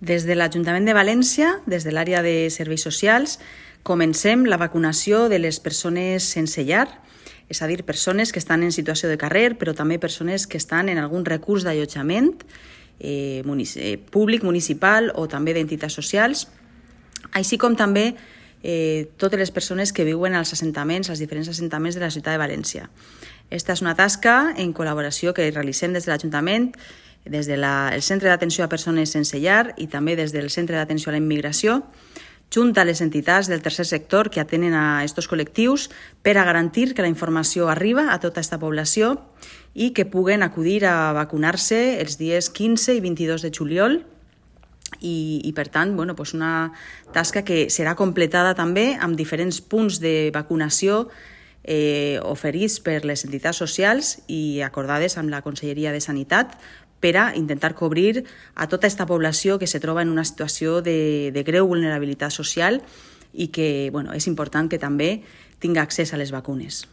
Des de l'Ajuntament de València, des de l'àrea de serveis socials, comencem la vacunació de les persones sense llar, és a dir, persones que estan en situació de carrer, però també persones que estan en algun recurs d'allotjament públic, municipal o també d'entitats socials, així com també totes les persones que viuen als assentaments, als diferents assentaments de la ciutat de València. Esta és una tasca en col·laboració que realitzem des de l'Ajuntament, des del Centre d'Atenció a Persones Sense Llar i també des del Centre d'Atenció a la Immigració, junt a les entitats del tercer sector que atenen a aquests col·lectius per a garantir que la informació arriba a tota aquesta població i que puguen acudir a vacunar-se els dies 15 i 22 de juliol i per tant, una tasca que serà completada també amb diferents punts de vacunació oferits per les entitats socials i acordades amb la Conselleria de Sanitat per a intentar cobrir a tota aquesta població que se troba en una situació de greu vulnerabilitat social i que és important que també tingui accés a les vacunes.